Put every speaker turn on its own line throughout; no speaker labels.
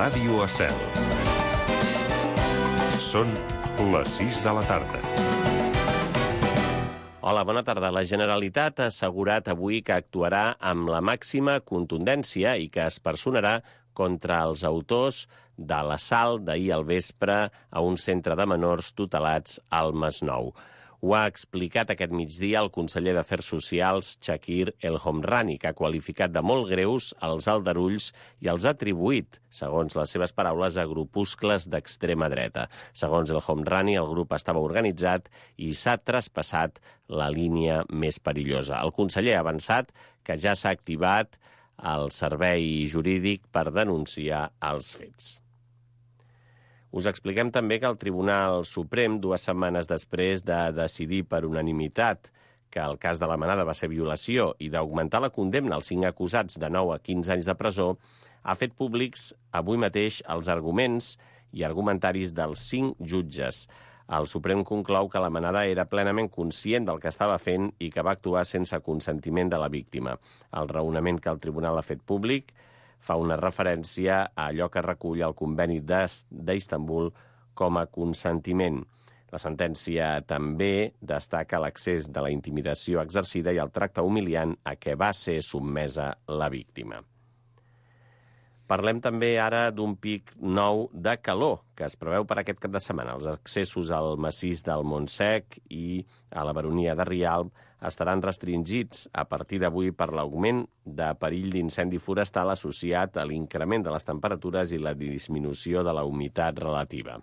Ràdio Estel. Són les 6 de la tarda.
Hola, bona tarda. La Generalitat ha assegurat avui que actuarà amb la màxima contundència i que es personarà contra els autors de l'assalt d'ahir al vespre a un centre de menors tutelats al Masnou. Ho ha explicat aquest migdia el conseller d'Afers Socials, Chakir El Homrani, que ha qualificat de molt greus els aldarulls i els ha atribuït, segons les seves paraules, a grupuscles d'extrema dreta. Segons El Homrani, el grup estava organitzat i s'ha traspassat la línia més perillosa. El conseller ha avançat que ja s'ha activat el servei jurídic per denunciar els fets. Us expliquem també que el Tribunal Suprem, 2 setmanes després de decidir per unanimitat que el cas de la Manada va ser violació i d'augmentar la condemna als 5 acusats de 9 a 15 anys de presó, ha fet públics avui mateix els arguments i argumentaris dels 5 jutges. El Suprem conclou que la Manada era plenament conscient del que estava fent i que va actuar sense consentiment de la víctima. El raonament que el tribunal ha fet públic fa una referència a allò que recull el conveni d'Istanbul com a consentiment. La sentència també destaca l'accés de la intimidació exercida i el tracte humiliant a què va ser sotmesa la víctima. Parlem també ara d'un pic nou de calor que es preveu per aquest cap de setmana. Els accessos al massís del Montsec i a la Baronia de Rialb estaran restringits a partir d'avui per l'augment de perill d'incendi forestal associat a l'increment de les temperatures i la disminució de la humitat relativa.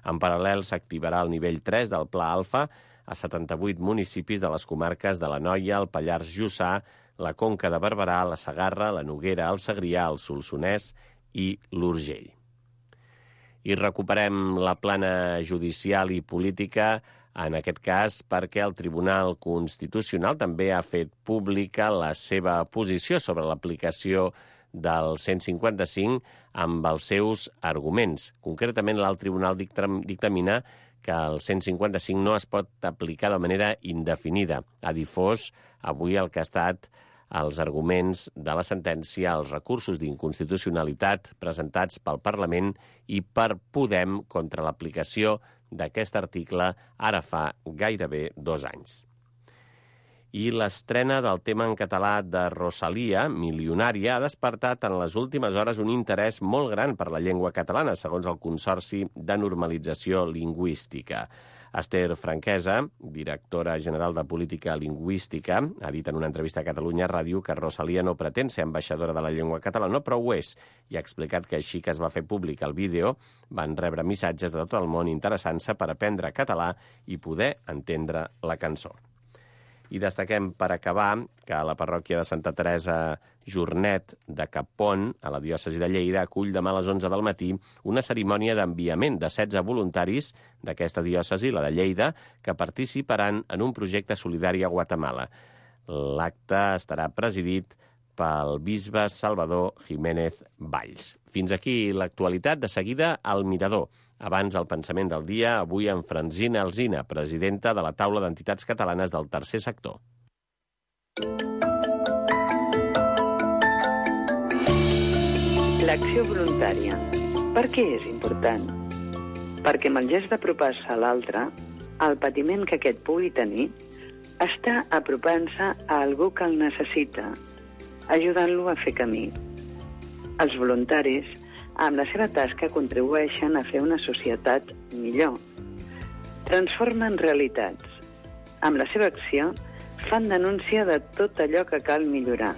En paral·lel, s'activarà el nivell 3 del Pla Alfa a 78 municipis de les comarques de l'Anoia, el Pallars Jussà, la Conca de Barberà, la Segarra, la Noguera, el Segrià, el Solsonès i l'Urgell. I recuperem la plana judicial i política, en aquest cas perquè el Tribunal Constitucional també ha fet pública la seva posició sobre l'aplicació del 155 amb els seus arguments. Concretament, l'alt tribunal dictamina que el 155 no es pot aplicar de manera indefinida. Ha difós avui el que ha estat els arguments de la sentència, els recursos d'inconstitucionalitat presentats pel Parlament i per Podem contra l'aplicació d'aquest article ara fa gairebé 2 anys. I l'estrena del tema en català de Rosalia, Milionària, ha despertat en les últimes hores un interès molt gran per la llengua catalana, segons el Consorci de Normalització Lingüística. Esther Franquesa, directora general de Política Lingüística, ha dit en una entrevista a Catalunya Ràdio que Rosalia no pretén ser ambaixadora de la llengua catalana, però ho és, i ha explicat que així que es va fer públic el vídeo van rebre missatges de tot el món interessant-se per aprendre català i poder entendre la cançó. I destaquem, per acabar, que la parròquia de Santa Teresa Jornet de Capon, a la diòcesi de Lleida, acull demà a les 11 del matí una cerimònia d'enviament de 16 voluntaris d'aquesta diòcesi, la de Lleida, que participaran en un projecte solidari a Guatemala. L'acte estarà presidit pel bisbe Salvador Jiménez Valls. Fins aquí l'actualitat. De seguida, al Mirador. Abans, el pensament del dia, avui amb Francina Alsina, presidenta de la Taula d'Entitats Catalanes del Tercer Sector.
L'acció voluntària. Per què és important? Perquè amb el gest d'apropar-se a l'altre, el patiment que aquest pugui tenir, està apropant-se a algú que el necessita, ajudant-lo a fer camí. Els voluntaris, amb la seva tasca, contribueixen a fer una societat millor. Transformen realitats. Amb la seva acció, fan denúncia de tot allò que cal millorar.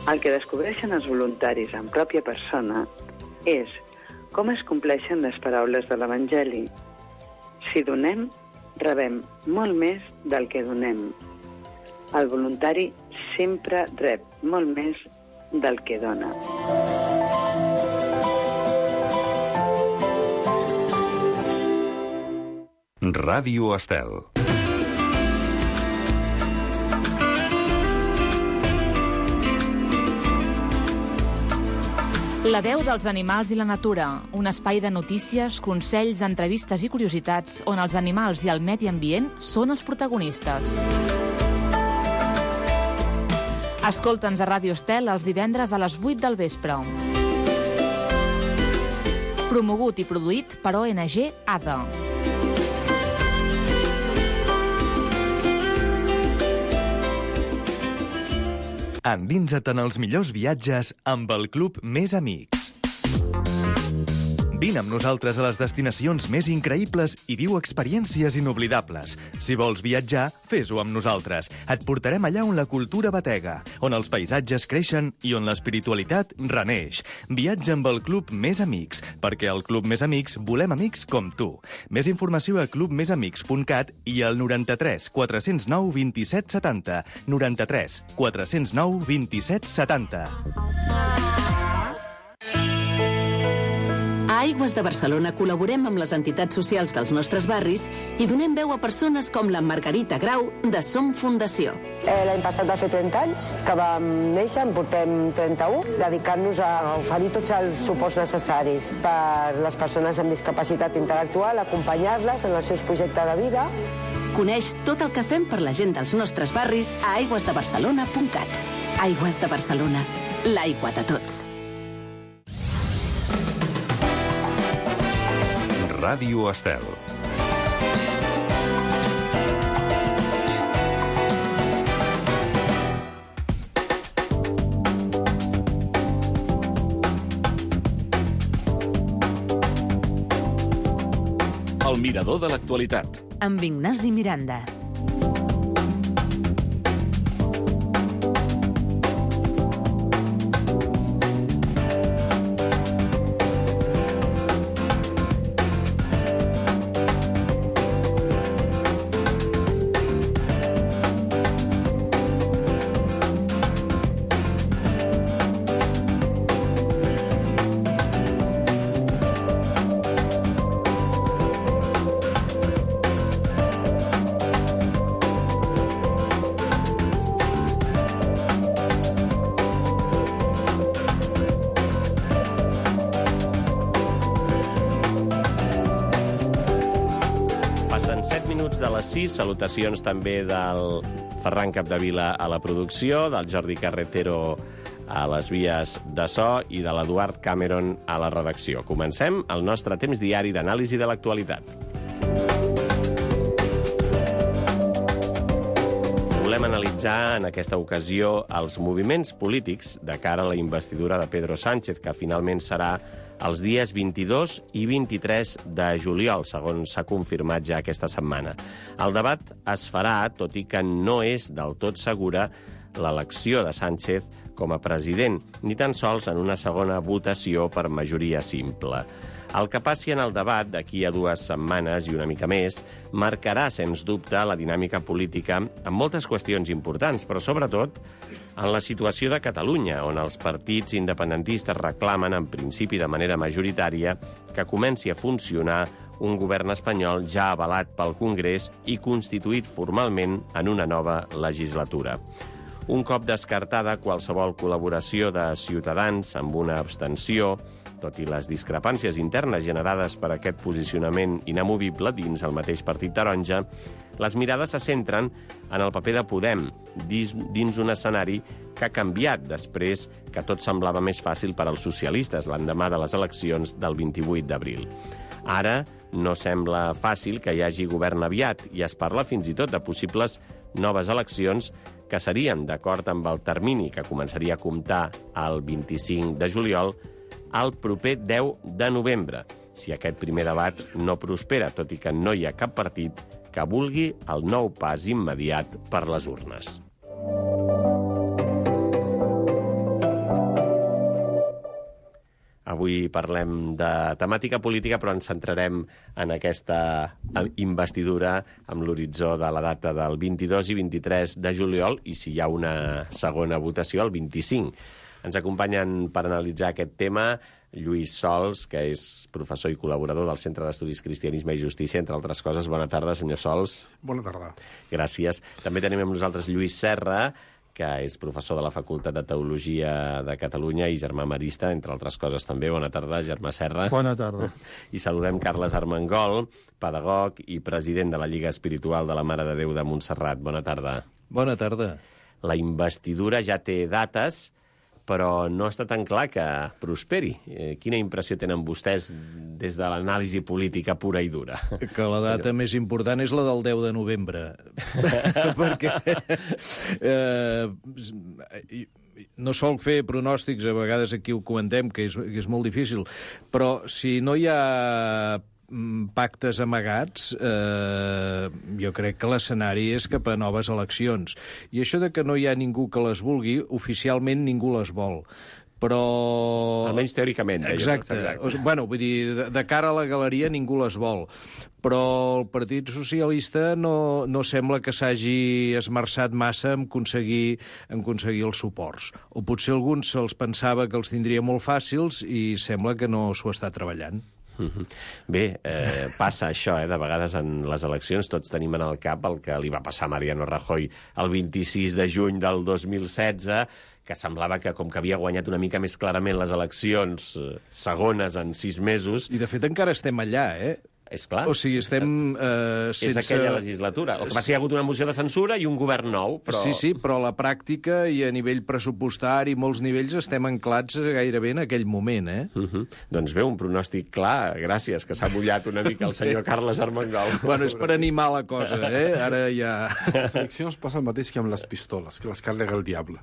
El que descobreixen els voluntaris en pròpia persona és com es compleixen les paraules de l'Evangeli. Si donem, rebem molt més del que donem. El voluntari sempre rep molt més del que dona.
Ràdio Estel.
La veu dels animals i la natura, un espai de notícies, consells, entrevistes i curiositats on els animals i el medi ambient són els protagonistes. Escolta'ns a Ràdio Estel els divendres a les 8 del vespre. Promogut i produït per ONG ADA.
Endinsa't en els millors viatges amb el Club Més Amics. Vine amb nosaltres a les destinacions més increïbles i viu experiències inoblidables. Si vols viatjar, fes-ho amb nosaltres. Et portarem allà on la cultura batega, on els paisatges creixen i on l'espiritualitat reneix. Viatja amb el Club Més Amics, perquè al Club Més Amics volem amics com tu. Més informació a clubmesamics.cat i al 93 409 27 70. 93 409 27 70.
A Aigües de Barcelona col·laborem amb les entitats socials dels nostres barris i donem veu a persones com la Margarita Grau de Som Fundació.
L'any passat va fer 30 anys que vam néixer, en portem 31, dedicant-nos a oferir tots els suports necessaris per les persones amb discapacitat intel·lectual, acompanyar-les en els seus projectes de vida.
Coneix tot el que fem per la gent dels nostres barris a aigüesdebarcelona.cat. Aigües de Barcelona, l'aigua de tots.
Ràdio Estel. El mirador de l'actualitat.
Amb Ignasi Miranda.
De les 6, salutacions també del Ferran Capdevila a la producció, del Jordi Carretero a les vies de so i de l'Eduard Cameron a la redacció. Comencem el nostre temps diari d'anàlisi de l'actualitat. Volem analitzar en aquesta ocasió els moviments polítics de cara a la investidura de Pedro Sánchez, que finalment serà els dies 22 i 23 de juliol, segons s'ha confirmat ja aquesta setmana. El debat es farà, tot i que no és del tot segura l'elecció de Sánchez com a president, ni tan sols en una segona votació per majoria simple. El que passi en el debat d'aquí a 2 setmanes i una mica més marcarà, sens dubte, la dinàmica política en moltes qüestions importants, però sobretot en la situació de Catalunya, on els partits independentistes reclamen, en principi de manera majoritària, que comenci a funcionar un govern espanyol ja avalat pel Congrés i constituït formalment en una nova legislatura. Un cop descartada qualsevol col·laboració de Ciutadans amb una abstenció, tot i les discrepàncies internes generades per aquest posicionament inamovible dins el mateix partit taronja, les mirades se centren en el paper de Podem dins un escenari que ha canviat després que tot semblava més fàcil per als socialistes l'endemà de les eleccions del 28 d'abril. Ara no sembla fàcil que hi hagi govern aviat i es parla fins i tot de possibles noves eleccions que serien, d'acord amb el termini que començaria a comptar el 25 de juliol, el proper 10 de novembre, si aquest primer debat no prospera, tot i que no hi ha cap partit que vulgui el nou pas immediat per les urnes. Avui parlem de temàtica política, però ens centrarem en aquesta investidura amb l'horitzó de la data del 22 i 23 de juliol i si hi ha una segona votació, el 25. Ens acompanyen per analitzar aquest tema Lluís Sols, que és professor i col·laborador del Centre d'Estudis Cristianisme i Justícia, entre altres coses. Bona tarda, senyor Sols.
Bona tarda.
Gràcies. També tenim amb nosaltres Lluís Serra, que és professor de la Facultat de Teologia de Catalunya i germà marista, entre altres coses també. Bona tarda, germà Serra.
Bona tarda.
I saludem Carles Armengol, pedagog i president de la Lliga Espiritual de la Mare de Déu de Montserrat. Bona tarda.
Bona tarda.
La investidura ja té dates, però no està tan clar que prosperi. Quina impressió tenen vostès des de l'anàlisi política pura i dura?
Que la data més important és la del 10 de novembre. Perquè no sol fer pronòstics, a vegades aquí ho comentem, que és molt difícil, però si no hi ha pactes amagats, jo crec que l'escenari és cap a noves eleccions. I això de que no hi ha ningú que les vulgui, oficialment ningú les vol. Però...
Almenys teòricament.
Exacte. Bueno, vull dir, de cara a la galeria ningú les vol. Però el Partit Socialista no sembla que s'hagi esmerçat massa en aconseguir els suports. O potser alguns se'ls pensava que els tindria molt fàcils i sembla que no s'ho està treballant.
Bé, passa això, de vegades en les eleccions tots tenim en el cap el que li va passar a Mariano Rajoy el 26 de juny del 2016, que semblava que, com que havia guanyat una mica més clarament les eleccions segones en 6 mesos...
I, de fet, encara estem allà,
És clar.
O sigui, estem sense...
És aquella legislatura. El que va ser, hi ha hagut una moció de censura i un govern nou, però...
Sí, però a la pràctica i a nivell pressupostari, molts nivells, estem anclats gairebé en aquell moment,
Doncs bé, un pronòstic clar, gràcies, que s'ha mullat una mica el senyor Carles Armengol.
Bueno, és per animar la cosa, Ara ja...
Les eleccions passa el mateix que amb les pistoles, que les carrega el diable.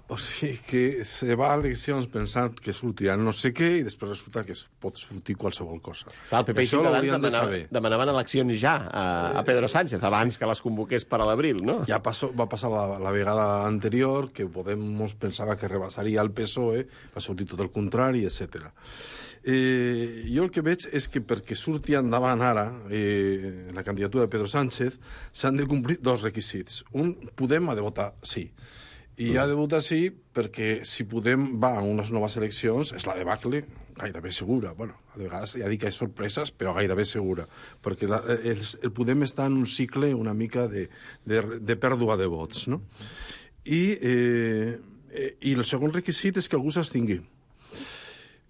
O sigui que se va a eleccions pensant que sortiran no sé què i després resulta que pot sortir qualsevol cosa.
Clar, el PP i Ciutadans demanaven eleccions ja a Pedro Sánchez abans que les convoqués per a l'abril, no?
Ja va passar la vegada anterior, que Podemos pensava que rebassaria el PSOE, va sortir tot el contrari, etc. Jo el que veig és que perquè surti endavant ara la candidatura de Pedro Sánchez s'han de complir 2 requisits. Un, Podem ha de votar sí. I ha de votar sí perquè si Podem va a unes noves eleccions és la debacle gairebé segura. Bueno, a vegades ja dic que hi ha sorpreses, però gairebé segura. Perquè el Podem està en un cicle una mica de pèrdua de vots, no? I el segon requisit és que algú s'abstingui.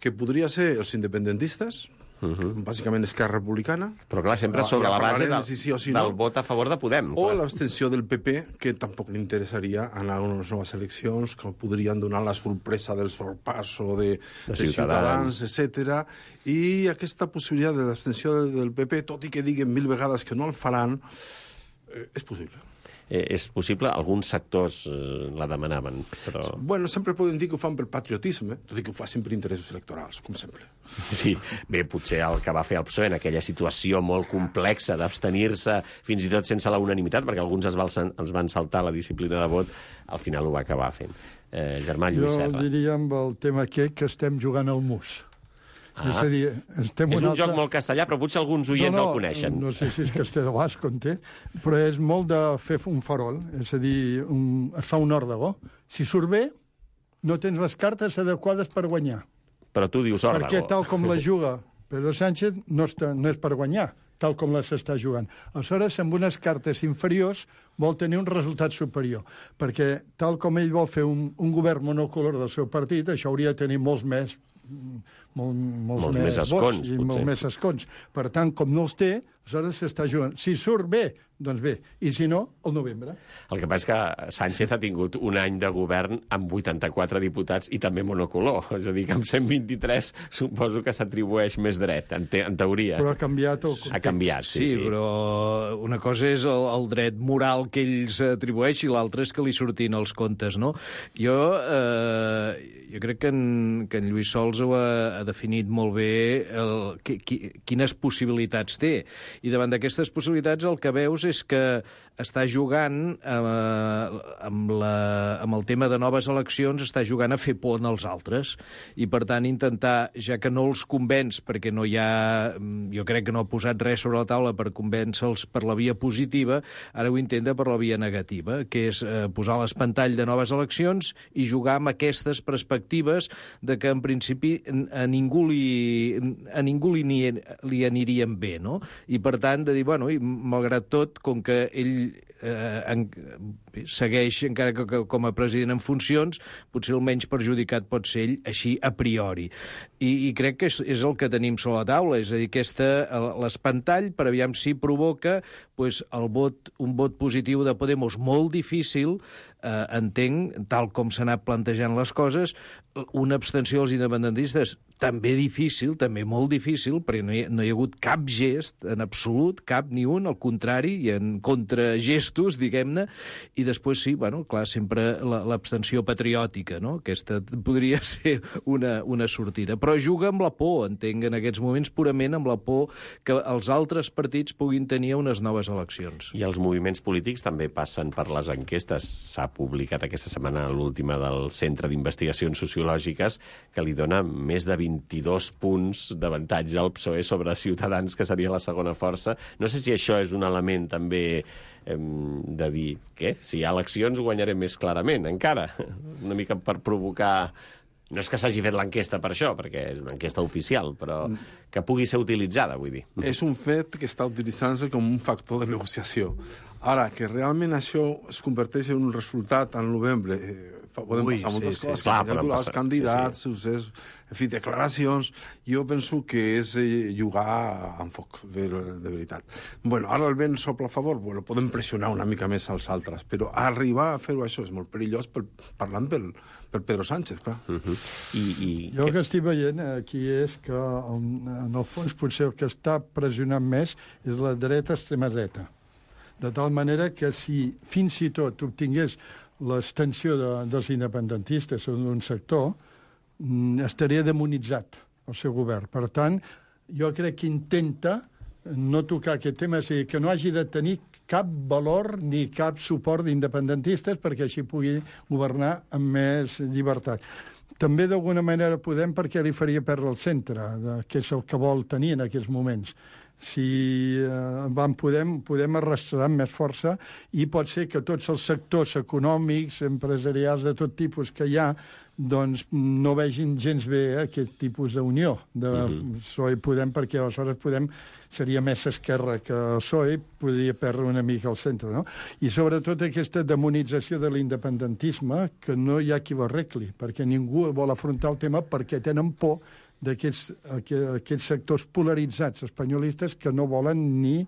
Que podria ser els independentistes, bàsicament Esquerra Republicana.
Però clar, sempre sobre la base del vot a favor de Podem.
O l'abstenció del PP, que tampoc li interessaria anar a unes noves eleccions, que podrien donar la sorpresa del sorpasso de Ciutadans, etc. I aquesta possibilitat de l'abstenció del PP, tot i que diguen 1000 vegades que no el faran, és possible.
És possible, alguns sectors la demanaven, però...
Bueno, sempre poden dir que ho fan per patriotisme, tot i que ho fan per interessos electorals, com sempre.
Sí, bé, potser el que va fer el PSOE en aquella situació molt complexa d'abstenir-se, fins i tot sense la unanimitat, perquè alguns ens van saltar la disciplina de vot, al final ho va acabar fent. Germà Lluís Serra.
Jo diria amb el tema aquest que estem jugant al mus. És a dir,
és un joc molt castellà, però potser alguns oients el coneixen.
No sé si és castellà o basc, però és molt de fer un farol. És a dir, es fa un òrdego. Si surt bé, no tens les cartes adequades per guanyar.
Però tu dius òrdego.
Perquè tal com la juga Pedro Sánchez no és per guanyar, tal com les està jugant. Aleshores, amb unes cartes inferiors, vol tenir un resultat superior. Perquè tal com ell vol fer un govern monocolor del seu partit, això hauria de tenir molts més
escons,
i molts més escons. Per tant, com no els té, aleshores s'està jugant. Si surt bé, doncs bé. I si no, al novembre.
El que passa és que Sánchez ha tingut un any de govern amb 84 diputats i també monocolor. És a dir, que amb 123 suposo que s'atribueix més dret, en teoria.
Però ha canviat el context.
Ha canviat, sí.
Però una cosa és el dret moral que ell s'atribueix i l'altra és que li surtin els comptes, no? Jo crec que en Lluís Sols ho ha definit molt bé quines possibilitats té. I davant d'aquestes possibilitats el que veus és que està jugant amb el tema de noves eleccions, està jugant a fer por als altres i, per tant, intentar, ja que no els convenç, perquè no hi ha... Jo crec que no ha posat res sobre la taula per convèncer-los per la via positiva, ara ho intenta per la via negativa, que és posar l'espantall de noves eleccions i jugar amb aquestes perspectives de que, en principi, a ningú li anirien bé, no? I, per tant, de dir, bueno, i malgrat tot, com que ell segueix, encara que com a president en funcions, potser el menys perjudicat pot ser ell, així a priori. I crec que és el que tenim sobre la taula, és a dir, l'espantall per aviam si provoca un vot positiu de Podemos molt difícil, entenc, tal com s'ha anat plantejant les coses, una abstenció dels independentistes també difícil, també molt difícil, perquè no hi ha hagut cap gest en absolut, cap ni un, al contrari, i en contragestos, diguem-ne, i després sí, bueno, clar, sempre l'abstenció patriòtica, no? Aquesta podria ser una sortida. Però juga amb la por, entenc, en aquests moments, purament amb la por que els altres partits puguin tenir unes noves eleccions.
I els moviments polítics també passen per les enquestes. S'ha publicat aquesta setmana l'última del Centre d'Investigacions Sociològiques, que li dona més de 22 punts d'avantatge al PSOE sobre Ciutadans, que seria la segona força. No sé si això és un element també de dir, què? Si hi ha eleccions guanyarem més clarament, encara. Una mica per provocar... No és que s'hagi fet l'enquesta per això, perquè és una enquesta oficial, però que pugui ser utilitzada, vull dir.
És un fet que està utilitzant-se com un factor de negociació. Ara, que realment això es converteix en un resultat al novembre... Podem passar moltes coses, els candidats, en fi, declaracions. Jo penso que és jugar amb foc, de veritat. Bueno, ara el vent sopla a favor, bueno, podem pressionar una mica més als altres, però arribar a fer-ho això és molt perillós parlant per Pedro Sánchez, clar.
Jo el que estic veient aquí és que, en el fons, potser el que està pressionant més és la dreta extrema dreta. De tal manera que si fins i tot obtingués l'extensió dels independentistes en un sector, estaria demonitzat el seu govern. Per tant, jo crec que intenta no tocar aquest tema, és a dir, que no hagi de tenir cap valor ni cap suport d'independentistes perquè així pugui governar amb més llibertat. També d'alguna manera podem perquè li faria perdre el centre, que és el que vol tenir en aquests moments. Si podem arrastrar amb més força i pot ser que tots els sectors econòmics, empresarials de tot tipus que hi ha, doncs no vegin gens bé aquest tipus d'unió de PSOE-Podem, perquè aleshores seria més esquerra que el PSOE, podria perdre una mica el centre, no? I sobretot aquesta demonització de l'independentisme, que no hi ha qui ho arregli, perquè ningú vol afrontar el tema perquè tenen por d'aquests sectors polaritzats espanyolistes que no volen ni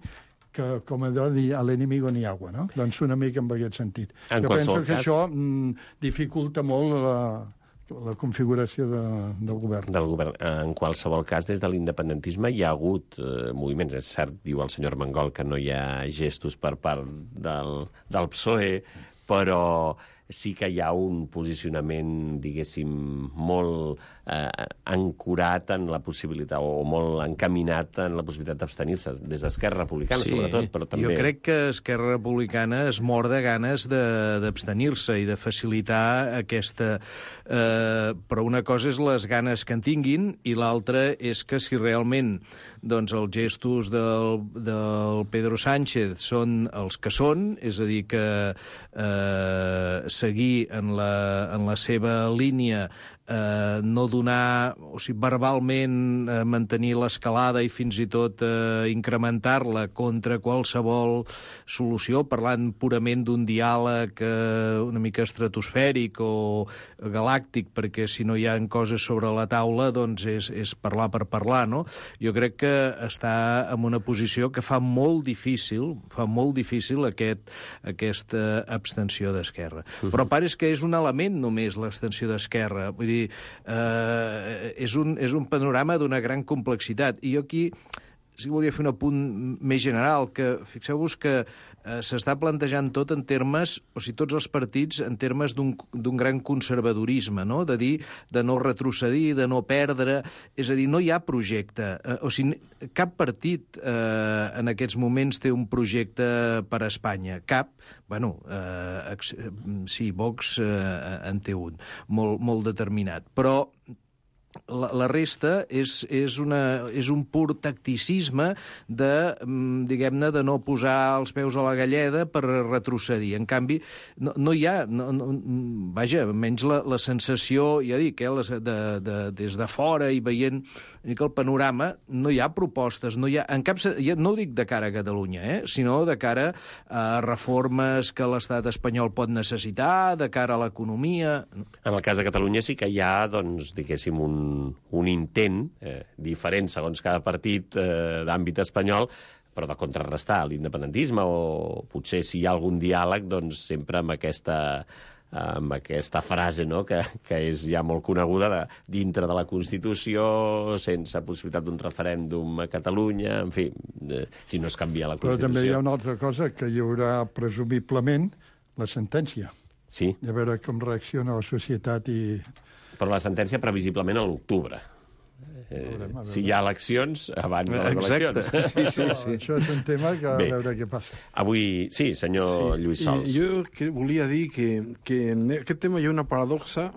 que, com a dir, a l'enemigo ni agua, no? Doncs una mica en aquest sentit. Jo penso que això dificulta molt la configuració del govern.
En qualsevol cas, des de l'independentisme hi ha hagut moviments. És cert, diu el senyor Mangol, que no hi ha gestos per part del PSOE, però sí que hi ha un posicionament, diguéssim, molt ancorat en la possibilitat, o molt encaminat en la possibilitat d'abstenir-se, des d'Esquerra Republicana, sobretot, però també...
Jo crec que Esquerra Republicana es mor de ganes d'abstenir-se i de facilitar aquesta... Però una cosa és les ganes que en tinguin i l'altra és que si realment doncs, els gestos del Pedro Sánchez són els que són, és a dir, que seguir en la seva línia, no donar, o sigui, verbalment mantenir l'escalada i fins i tot incrementar-la contra qualsevol solució, parlant purament d'un diàleg una mica estratosfèric o galàctic, perquè si no hi ha coses sobre la taula, doncs és parlar per parlar, no? Jo crec que està en una posició que fa molt difícil aquesta abstenció d'Esquerra. Però a part és que és un element només l'abstenció d'Esquerra, vull dir, és un panorama d'una gran complexitat. I jo aquí sí que volia fer un apunt més general, que fixeu-vos que s'està plantejant tot en termes, o sigui, tots els partits en termes d'un gran conservadorisme, no? De dir, de no retrocedir, de no perdre, és a dir, no hi ha projecte. O sigui, cap partit en aquests moments té un projecte per a Espanya. Cap. Bueno, sí, Vox en té un, molt determinat. Però la resta és un pur tacticisme de, diguem-ne, de no posar els peus a la galleda per retrocedir. En canvi, no hi ha... Vaja, almenys la sensació, ja dic, des de fora i veient el panorama, no hi ha propostes, no hi ha... No ho dic de cara a Catalunya, sinó de cara a reformes que l'estat espanyol pot necessitar, de cara a l'economia...
En el cas de Catalunya sí que hi ha, doncs, diguéssim, un intent diferent segons cada partit d'àmbit espanyol però de contrarrestar l'independentisme, o potser si hi ha algun diàleg, doncs sempre amb aquesta frase, no?, que és ja molt coneguda, dintre de la Constitució, sense possibilitat d'un referèndum a Catalunya, en fi, si no es canvia la Constitució.
Però també hi ha una altra cosa, que hi haurà presumiblement la sentència.
Sí.
I a veure com reacciona la societat i...
Però la sentència previsiblement a l'octubre. Si hi ha eleccions, abans de les eleccions.
Sí. Això és un tema que a veure què passa.
Avui, sí, senyor Lluís Sols.
Jo volia dir que en aquest tema hi ha una paradoxa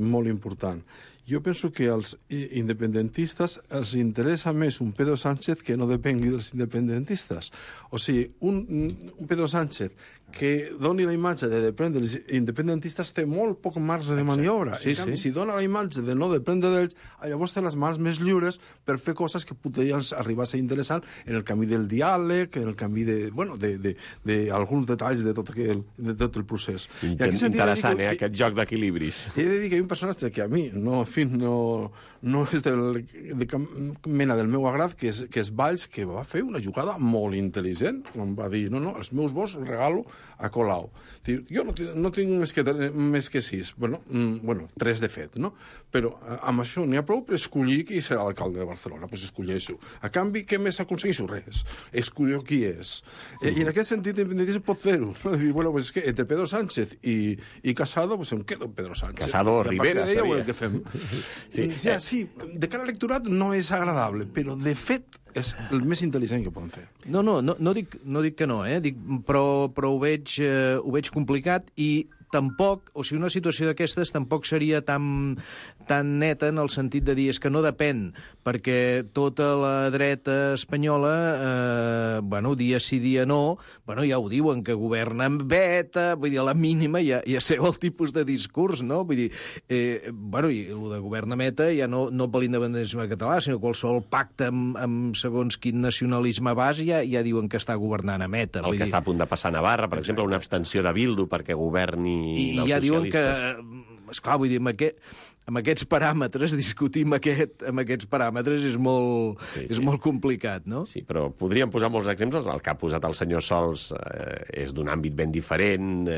molt important. Jo penso que als independentistes els interessa més un Pedro Sánchez que no depengui dels independentistes. O sigui, un Pedro Sánchez que doni la imatge de dependre dels independentistes té molt poc marge de maniobra. En canvi, si dona la imatge de no dependre d'ells, llavors té les mans més lliures per fer coses que podrien arribar a ser interessant en el camí del diàleg, en el camí d'alguns detalls de tot el procés.
Interessant, aquest joc d'equilibris.
He de dir que hi ha un personatge que a mi no és de cap mena del meu agrat, que és Valls, que va fer una jugada molt intel·ligent, quan va dir, no, els meus vots els regalo a Colau. Jo no tinc més que 6, bueno, 3 de fet, no? Però amb això n'hi ha prou per escollir qui serà l'alcalde de Barcelona, doncs escolleixo. A canvi, què més aconsegueixo? Res. Escollir qui és. I en aquest sentit, l'independentisme pot fer-ho. Dir, bueno, pues és que entre Pedro Sánchez i Casado, pues em quedo Pedro Sánchez.
Casado o Rivera,
seria. Què fem? Sí, de cara a l'electorat no és agradable, però de fet és el més intel·ligent que poden fer.
No dic que no, però ho veig complicat i tampoc, o sigui, una situació d'aquestes tampoc seria tan neta en el sentit de dir és que no depèn, perquè tota la dreta espanyola, dia sí, dia no, ja ho diuen, que governen beta, vull dir, a la mínima ja sé el tipus de discurs, no? Vull dir, i el de governa meta ja no per l'independentisme català, sinó qualsevol pacte amb segons quin nacionalisme base ja diuen que està governant a meta.
El que està a punt de passar a Navarra, per exemple, una abstenció de Bildu perquè governi
i ja diuen que, esclar, vull dir, amb aquests paràmetres, discutir amb aquests paràmetres és molt complicat, no?
Sí, però podríem posar molts exemples. El que ha posat el senyor Sols és d'un àmbit ben diferent,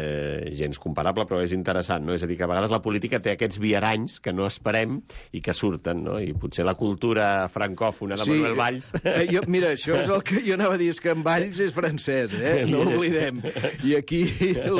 gens comparable, però és interessant, no? És a dir, que a vegades la política té aquests viaranys que no esperem i que surten, no? I potser la cultura francòfona de Manuel Valls...
Mira, això és el que jo anava a dir, és que en Valls és francès, no ho oblidem. I aquí hi ha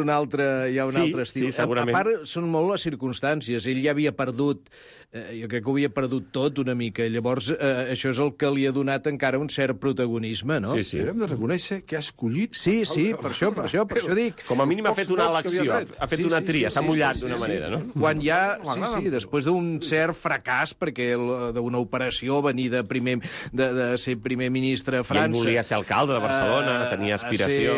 un altre estil.
Sí, segurament.
A part, són molt les circumstàncies. Ell ja havia perdut, jo crec que ho havia perdut tot una mica, llavors això és el que li ha donat encara un cert protagonisme, no?
Sí. Però hem de reconèixer que ha escollit...
Sí, per això dic...
Com a mínim ha fet una elecció, ha fet una tria, s'ha mullat d'una manera, no?
Quan ja, després d'un cert fracàs, perquè d'una operació venir de ser primer ministre a França...
I ell volia ser alcalde de Barcelona, tenia aspiració...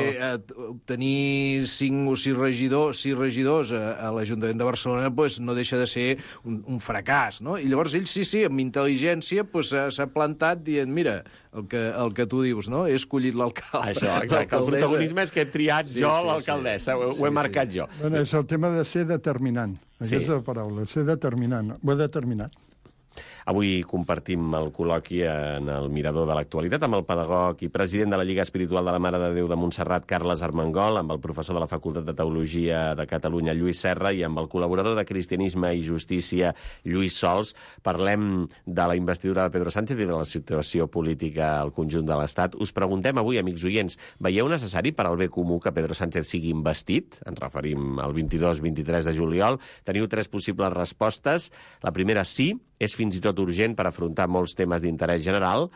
Tenir 5 o 6 regidors a l'Ajuntament de Barcelona, doncs no deixa de ser un fracàs, no? I llavors ell, sí, amb intel·ligència s'ha plantat dient, mira, el que tu dius, no? He escollit l'alcalde.
Això, exacte. El protagonisme és que he triat l'alcaldessa, ho he marcat jo.
Bueno, és el tema de ser determinant. Aquesta paraula, ser determinant. Ho he determinat.
Avui compartim el col·loqui en el Mirador de l'Actualitat amb el pedagog i president de la Lliga Espiritual de la Mare de Déu de Montserrat, Carles Armengol, amb el professor de la Facultat de Teologia de Catalunya, Lluís Serra, i amb el col·laborador de Cristianisme i Justícia, Lluís Sols. Parlem de la investidura de Pedro Sánchez i de la situació política al conjunt de l'Estat. Us preguntem avui, amics oients, veieu necessari per al bé comú que Pedro Sánchez sigui investit? Ens referim al 22-23 de juliol. Teniu 3 possibles respostes. La primera, sí, és fins i tot urgent per afrontar molts temes d'interès general.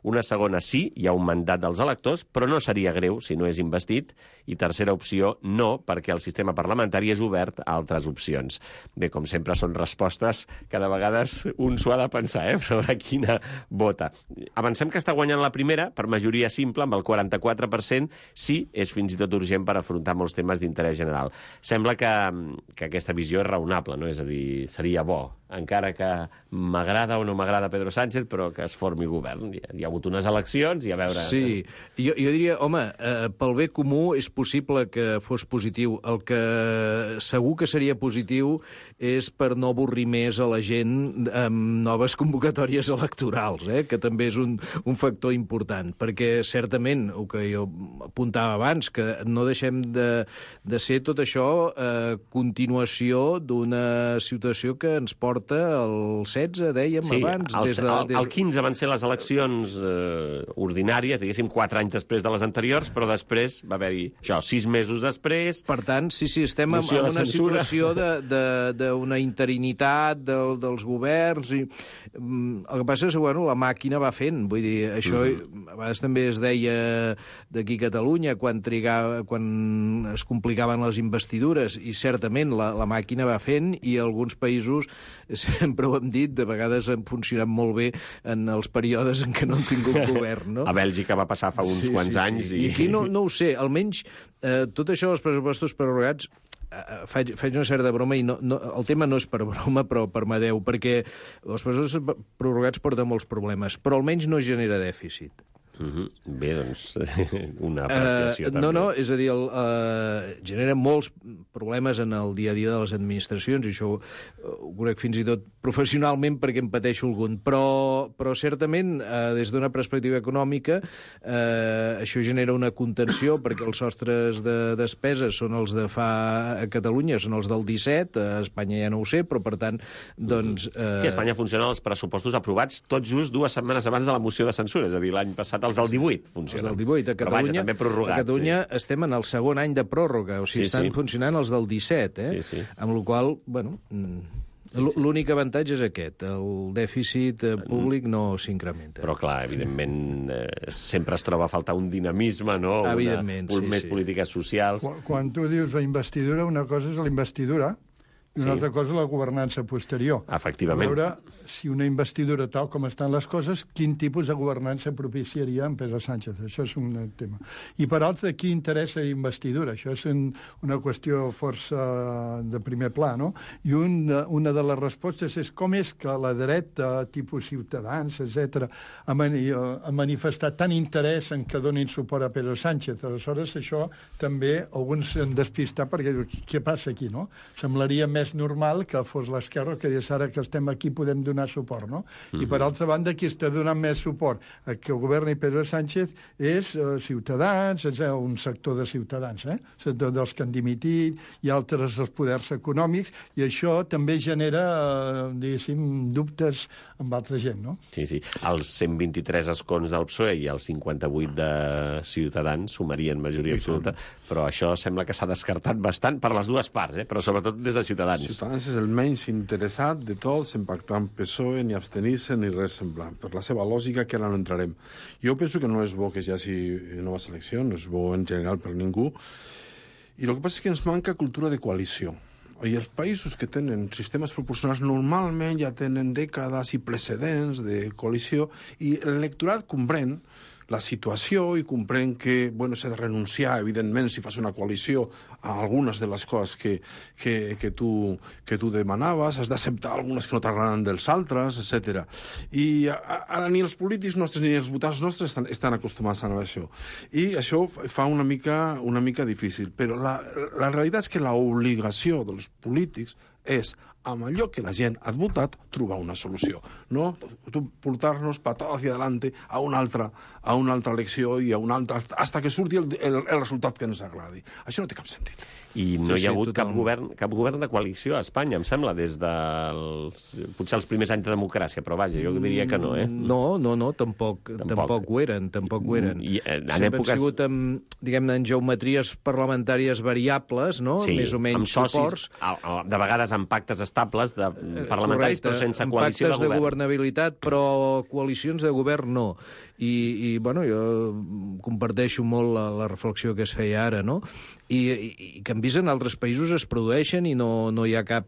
Una segona, sí, hi ha un mandat dels electors, però no seria greu si no és investit. I tercera opció, no, perquè el sistema parlamentari és obert a altres opcions. Bé, com sempre, són respostes que de vegades un s'ho ha de pensar, sobre quina vota. Avancem que està guanyant la primera, per majoria simple, amb el 44%, sí, és fins i tot urgent per afrontar molts temes d'interès general. Sembla que aquesta visió és raonable, no? És a dir, seria bo, encara que m'agrada o no m'agrada Pedro Sánchez, però que es formi govern. Hi ha hagut unes eleccions i a veure...
Sí, jo diria, home, pel bé comú és possible que fos positiu. El que segur que seria positiu és per no avorrir més a la gent amb noves convocatòries electorals, que també és un factor important, perquè certament, el que jo apuntava abans, que no deixem de ser tot això continuació d'una situació que ens porta al 16, dèiem abans.
El 15 van ser les eleccions ordinàries, diguéssim, 4 anys després de les anteriors, però després va haver-hi això, 6 mesos després.
Per tant, sí, estem en una situació d'una interinitat dels governs. I el que passa és que, bueno, la màquina va fent. Vull dir, això a vegades també es deia d'aquí a Catalunya quan es complicaven les investidures, i certament la màquina va fent, i alguns països, sempre ho hem dit, de vegades han funcionat molt bé en els períodes en què no han tingut govern, no?
A Bèlgica va passar fa uns quants anys.
I aquí no ho sé, almenys tot això dels pressupostos prorrogats, faig una certa broma, i el tema no és per broma, però permeteu, perquè els pressupostos prorrogats porten molts problemes, però almenys no genera dèficit.
Bé, doncs, una apreciació també.
No, és a dir, genera molts problemes en el dia a dia de les administracions, i això ho conec fins i tot professionalment perquè en pateixo algun, però certament, des d'una perspectiva econòmica, això genera una contenció, perquè els sostres de despeses són els de fa a Catalunya, són els del 17, a Espanya ja no ho sé, però per tant, doncs...
Sí, a Espanya funcionen els pressupostos aprovats tot just 2 setmanes abans de la moció de censura, és a dir, l'any passat els del 18 funcionen.
Els del 18.
Però vaja, també prorrogats.
A Catalunya estem en el segon any de pròrroga, o sigui, estan funcionant els del 17, amb la qual cosa, bueno... L'únic avantatge és aquest, el dèficit públic no s'incrementa.
Però, clar, evidentment, sempre es troba a faltar un dinamisme, no?
Evidentment,
més polítiques socials.
Quan tu dius la investidura, una cosa és la investidura i una altra cosa la governança posterior.
Efectivament.
A veure si una investidura, tal com estan les coses, quin tipus de governança propiciaria en Pedro Sánchez. Això és un tema. I per altra, qui interessa investidura? Això és una qüestió força de primer pla, no? I una de les respostes és com és que la dreta, tipus Ciutadans, etc., ha manifestat tant interès en que donin suport a Pedro Sánchez. Aleshores, això també alguns s'han despistat perquè diuen, què passa aquí, no? Semblaria més normal que fos l'esquerra que digués ara que estem aquí podem donar suport, no? I per altra banda, qui està donant més suport a que governi Pedro Sánchez és Ciutadans, és un sector de Ciutadans, sector dels que han dimitit, i altres dels poders econòmics, i això també genera, diguéssim, dubtes amb altra gent, no?
Sí. Els 123 escons del PSOE i els 58 de Ciutadans sumarien majoria absoluta, però això sembla que s'ha descartat bastant per les dues parts, però sobretot des de Ciutadans.
Ciutadans és el menys interessat de tots en pactar amb PSOE, ni abstenir-se, ni res semblant. Per la seva lògica, que ara no entrarem. Jo penso que no és bo que hi hagi noves eleccions, no és bo en general per ningú, i el que passa és que ens manca cultura de coalició. I els països que tenen sistemes proporcionals normalment ja tenen dècades i precedents de coalició, i l'electorat comprèn la situació i comprèn que s'ha de renunciar, evidentment, si fas una coalició, a algunes de les coses que tu demanaves, has d'acceptar algunes que no t'agraden dels altres, etc. I ara ni els polítics nostres ni els votants nostres estan acostumats a això. I això fa una mica difícil. Però la realitat és que l'obligació dels polítics és, amb allò que la gent ha votat, trobar una solució. No portar-nos patada hacia adelante a una altra elecció i a una altra, hasta que surti el resultat que ens agradi. Això no té cap sentit.
I no hi ha hagut cap govern de coalició a Espanya, em sembla, des potser els primers anys de democràcia, però vaja, jo diria que no,
No, tampoc ho eren.
I
sempre han sigut, diguem-ne, en geometries parlamentàries variables, no?
Sí,
més o menys
amb socis,
suports.
De vegades amb pactes estables parlamentaris, però sense coalició de govern.
Pactes de governabilitat, però coalicions de govern no. I jo comparteixo molt la reflexió que es feia ara, no? I que hem vist en altres països es produeixen i no hi ha cap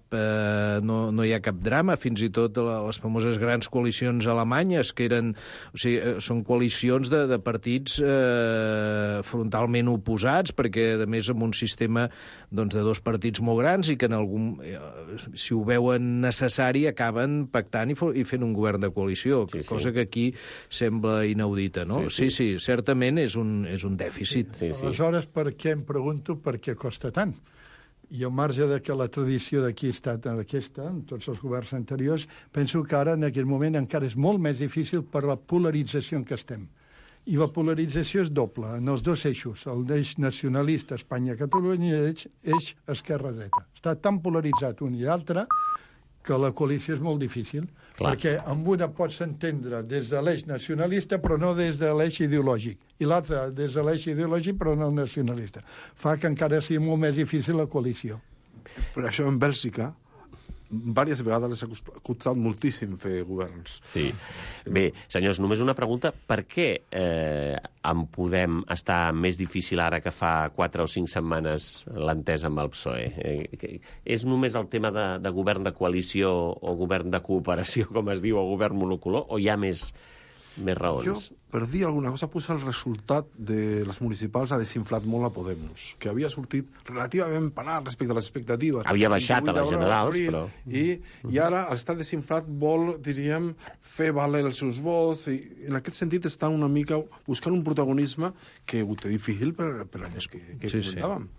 drama, fins i tot les famoses grans coalicions alemanyes, que eren, són coalicions de partits frontalment oposats, perquè, a més, amb un sistema de dos partits molt grans i que si ho veuen necessari, acaben pactant i fent un govern de coalició, cosa que aquí sembla inaudita, no? Sí, certament és un dèficit.
Aleshores, per què em pregunto per què costa tant? i al marge de que la tradició d'aquí ha estat aquesta, en tots els governs anteriors, penso que ara, en aquest moment, encara és molt més difícil per la polarització en què estem. I la polarització és doble, en els dos eixos, el d'eix nacionalista Espanya-Catalunya i eix esquerra-dreta. Està tan polaritzat un i l'altre que la coalició és molt difícil, perquè amb una pots entendre des de l'eix nacionalista però no des de l'eix ideològic, i l'altra des de l'eix ideològic però no nacionalista. Fa que encara sigui molt més difícil la coalició.
Per això en Bèlgica diverses vegades les ha costat moltíssim fer governs.
Sí. Bé, senyors, només una pregunta. Per què en Podem està més difícil ara que fa 4 o 5 setmanes l'entesa amb el PSOE? És només el tema de govern de coalició o govern de cooperació, com es diu, o govern monocolor, o hi ha més raons?
Jo, per dir alguna cosa, el resultat de les municipals ha desinflat molt a Podemos, que havia sortit relativament parat respecte a les expectatives.
Havia baixat a les generals, però...
I ara, al estar desinflat, vol, diríem, fer valer els seus vots, i en aquest sentit està una mica buscant un protagonisme que ho té difícil per anys que comentàvem.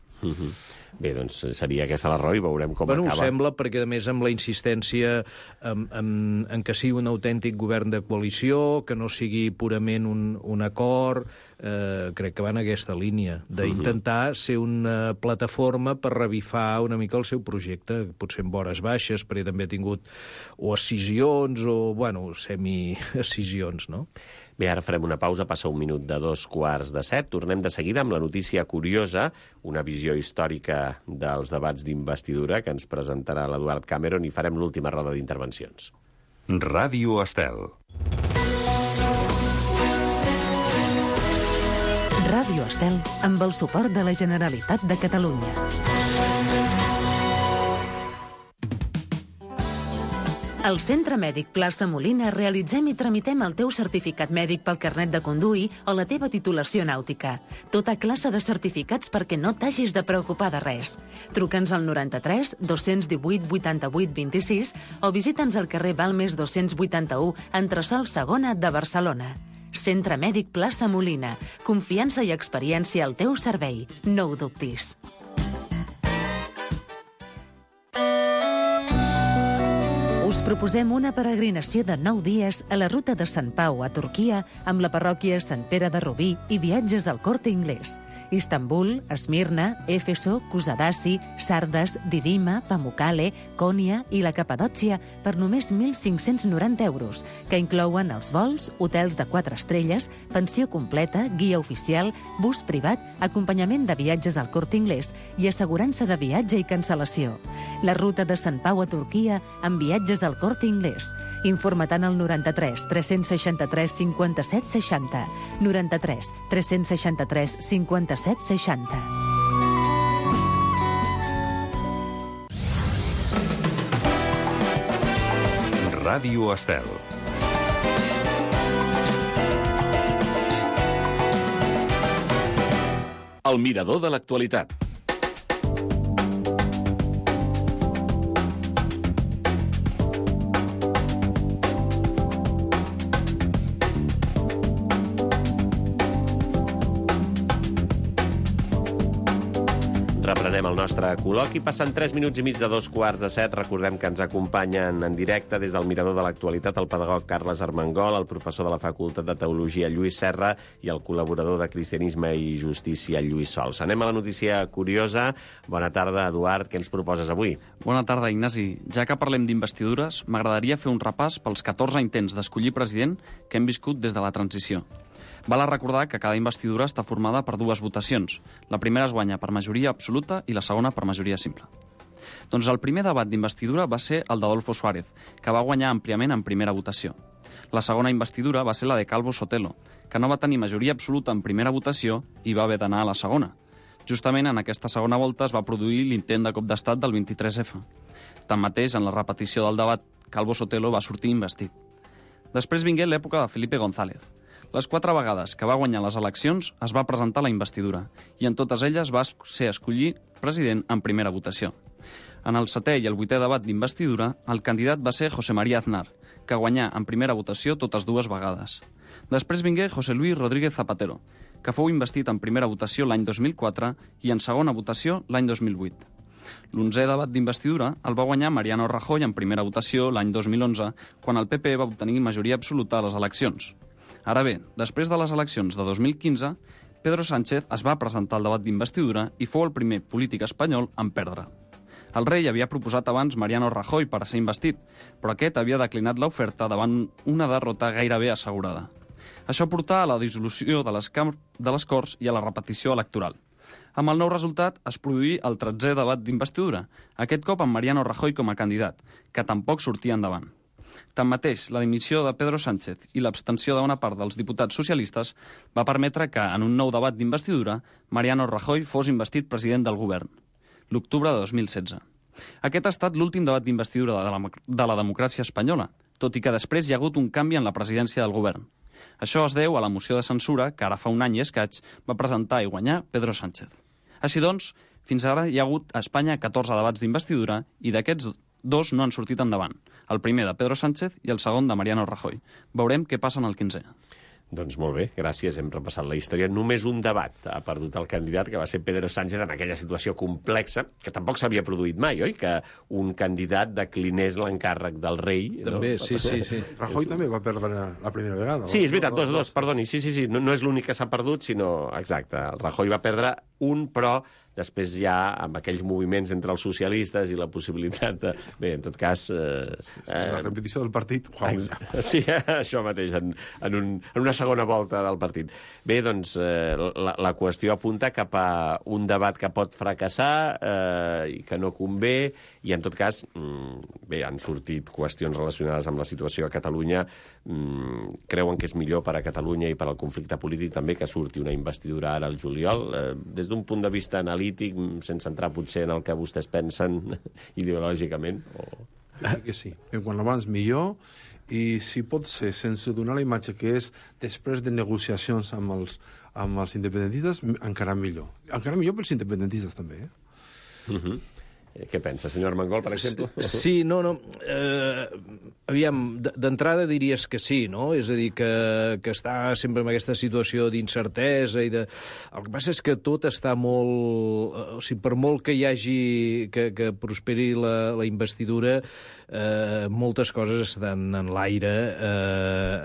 Bé, doncs seria aquesta la raó i veurem com acaba.
Ho sembla, perquè a més amb la insistència en que sigui un autèntic govern de coalició, que no sigui purament un acord, crec que va en aquesta línia, d'intentar ser una plataforma per revifar una mica el seu projecte, potser amb hores baixes, perquè també ha tingut o escissions o, bueno, semi-escissions, no?
Bé, ara farem una pausa, passa 1 minut de 2:45. Tornem de seguida amb la notícia curiosa, una visió històrica dels debats d'investidura que ens presentarà l'Eduard Cameron i farem l'última roda d'intervencions.
Ràdio Estel.
Ràdio Estel, amb el suport de la Generalitat de Catalunya. Al Centre Mèdic Plaça Molina realitzem i tramitem el teu certificat mèdic pel carnet de conduir o la teva titulació nàutica. Tota classe de certificats perquè no t'hagis de preocupar de res. Truca'ns al 93 218 88 26 o visita'ns al carrer Balmes 281, entresòl Segona de Barcelona. Centre Mèdic Plaça Molina. Confiança i experiència al teu servei. No ho dubtis. Us proposem una peregrinació de 9 dies a la ruta de Sant Pau a Turquia amb la parròquia Sant Pere de Rubí i viatges al Corte Inglés. Istanbul, Esmirna, Éfeso, Kusadasi, Sardes, Didima, Pamukkale, Konya i la Capadòcia per només 1.590 euros, que inclouen els vols, hotels de 4 estrelles, pensió completa, guia oficial, bus privat, acompanyament de viatges al Corte Inglés i assegurança de viatge i cancel·lació. La ruta de Sant Pau a Turquia amb viatges al Corte Inglés. Informa-te'n al 93 363 57 60. 93 363 57 60.
Ràdio Estel. El mirador de l'actualitat.
Reprenem el nostre col·loqui. Passen 3 minuts i mig de 2:15. Recordem que ens acompanyen en directe des del mirador de l'actualitat el pedagog Carles Armengol, el professor de la Facultat de Teologia Lluís Serra i el col·laborador de Cristianisme i Justícia Lluís Sols. Anem a la notícia curiosa. Bona tarda, Eduard. Què ens proposes avui?
Bona tarda, Ignasi. Ja que parlem d'investidures, m'agradaria fer un repàs pels 14 intents d'escollir president que hem viscut des de la transició. Val a recordar que cada investidura està formada per 2 votacions. La primera es guanya per majoria absoluta i la segona per majoria simple. Doncs el primer debat d'investidura va ser el d'Adolfo Suárez, que va guanyar àmpliament en primera votació. La segona investidura va ser la de Calvo Sotelo, que no va tenir majoria absoluta en primera votació i va haver d'anar a la segona. Justament en aquesta segona volta es va produir l'intent de cop d'estat del 23F. Tanmateix, en la repetició del debat, Calvo Sotelo va sortir investit. Després vingué l'època de Felipe González. Les 4 vegades que va guanyar les eleccions es va presentar la investidura i en totes elles va ser escollit president en primera votació. En el 7è i el 8è debat d'investidura, el candidat va ser José María Aznar, que guanyà en primera votació totes 2 vegades. Després vingué José Luis Rodríguez Zapatero, que fou investit en primera votació l'any 2004 i en segona votació l'any 2008. L'11è debat d'investidura el va guanyar Mariano Rajoy en primera votació l'any 2011, quan el PP va obtenir majoria absoluta a les eleccions. Ara bé, després de les eleccions de 2015, Pedro Sánchez es va presentar al debat d'investidura i fou el primer polític espanyol en perdre. El rei havia proposat abans Mariano Rajoy per a ser investit, però aquest havia declinat l'oferta davant una derrota gairebé assegurada. Això portà a la dissolució de les Corts i a la repetició electoral. Amb el nou resultat es produí el 13è debat d'investidura, aquest cop amb Mariano Rajoy com a candidat, que tampoc sortia endavant. Tanmateix, la dimissió de Pedro Sánchez i l'abstenció d'una part dels diputats socialistes va permetre que, en un nou debat d'investidura, Mariano Rajoy fos investit president del govern, l'octubre de 2016. Aquest ha estat l'últim debat d'investidura de la democràcia espanyola, tot i que després hi ha hagut un canvi en la presidència del govern. Això es deu a la moció de censura que ara fa un any i escaig va presentar i guanyar Pedro Sánchez. Així doncs, fins ara hi ha hagut a Espanya 14 debats d'investidura i d'aquests 2 no han sortit endavant. El primer de Pedro Sánchez i el segon de Mariano Rajoy. Veurem què passa en el 15è.
Doncs molt bé, gràcies, hem repassat la història. Només un debat ha perdut el candidat, que va ser Pedro Sánchez, en aquella situació complexa, que tampoc s'havia produït mai, oi? Que un candidat declinés l'encàrrec del rei.
També,
no?
sí.
Rajoy també va perdre la primera vegada.
Sí, és veritat, dos, perdoni. Sí. No és l'únic que s'ha perdut, sinó... Exacte, el Rajoy va perdre un, però després ja, amb aquells moviments entre els socialistes i la possibilitat de... Bé, en tot cas...
la repetició del partit.
Sí, això mateix, en una segona volta del partit. Bé, doncs, la qüestió apunta cap a un debat que pot fracassar i que no convé, i en tot cas, bé, han sortit qüestions relacionades amb la situació a Catalunya. Creuen que és millor per a Catalunya i per al conflicte polític també que surti una investidura ara al juliol. Des d'un punt de vista analític, sense entrar potser en el que vostès pensen ideològicament?
Que sí, que quan abans millor, i si pot ser sense donar la imatge que és després de negociacions amb els independentistes, encara millor. Encara millor pels independentistes també,
Què pensa, senyor Armengol, per exemple?
Sí, no. Aviam, d'entrada diries que sí, no? És a dir, que està sempre en aquesta situació d'incertesa i de... El que passa és que tot està molt... O sigui, per molt que hi hagi... que prosperi la investidura, moltes coses estan en l'aire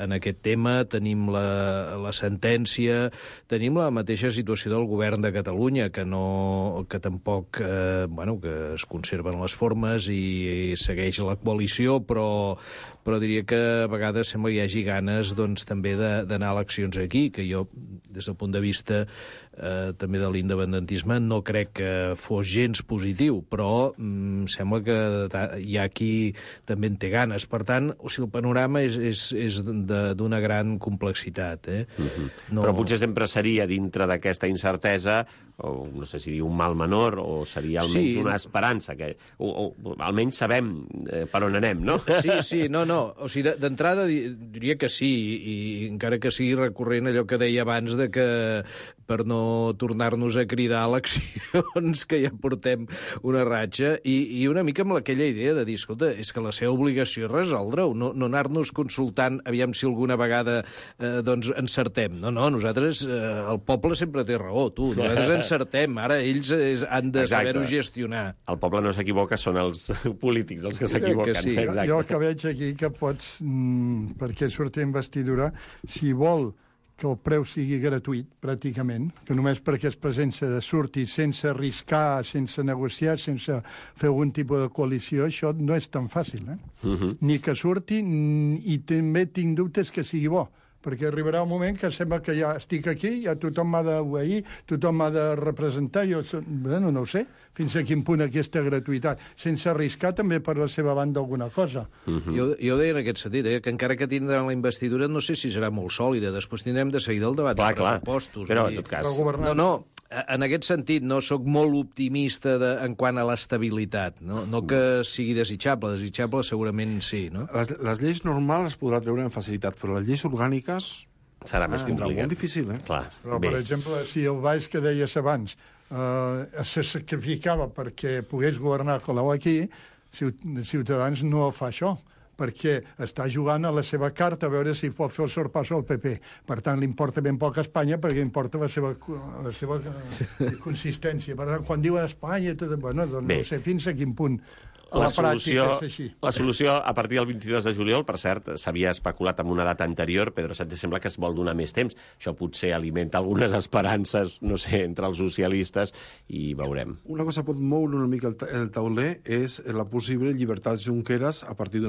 en aquest tema. Tenim la sentència, tenim la mateixa situació del govern de Catalunya, que tampoc, que es conserven les formes i segueix la coalició, però diria que a vegades sembla que hi hagi ganes doncs, també d'anar a eleccions aquí, que jo, des del punt de vista també de l'independentisme, no crec que fos gens positiu, però sembla que hi ha qui també en té ganes. Per tant, el panorama és d'una gran complexitat.
Però potser sempre seria, dintre d'aquesta incertesa, o no sé si dir un mal menor, o seria almenys una esperança, o almenys sabem per on anem, no?
Sí, no. O sigui, d'entrada diria que sí, i encara que sigui recurrent allò que deia abans de que per no tornar-nos a cridar a eleccions, que ja portem una ratxa, i una mica amb aquella idea de dir, escolta, és que la seva obligació és resoldre-ho, no anar-nos consultant aviam si alguna vegada doncs encertem. No, nosaltres, el poble sempre té raó, nosaltres encertem, ara ells han de saber-ho gestionar.
El poble no s'equivoca, són els polítics els que s'equivoquen.
Sí. Jo el que veig aquí que pots, perquè surti investidura, si vol que el preu sigui gratuït, pràcticament, que només perquè es presència de surti sense arriscar, sense negociar, sense fer algun tipus de coalició, això no és tan fàcil, Ni que surti, i també tinc dubtes que sigui bo, perquè arribarà un moment que sembla que ja estic aquí, ja tothom m'ha d'obeir, tothom m'ha de representar, jo no ho sé, fins a quin punt aquesta gratuïtat, sense arriscar també per la seva banda alguna cosa.
Jo deia en aquest sentit, que encara que tindran la investidura no sé si serà molt sòlida, després tindrem de seguir el debat de pressupostos.
Però, en tot cas...
No, en aquest sentit no sóc molt optimista en quant a l'estabilitat, no que sigui desitjable segurament sí, no?
Les lleis normals es podrà treure amb facilitat, però les lleis orgàniques
serà més complicat.
Molt difícil,
Clar.
Però, per exemple, si el Valls que deies abans se sacrificava perquè pogués governar Colau aquí, Ciutadans no fa això. perquè està jugant a la seva carta a veure si pot fer el sorpasso al PP. Per tant, li importa ben poc a Espanya perquè importa la seva consistència. Per tant, quan diuen Espanya, tot, bueno, doncs no sé fins a quin punt la pràctica és així.
La solució, a partir del 22 de juliol, per cert, s'havia especulat amb una data anterior, Pedro Sánchez sembla que es vol donar més temps. Això potser alimenta algunes esperances, no sé, entre els socialistes, i veurem.
Una cosa pot moure una mica el tauler és la possible llibertat Junqueras a partir d'una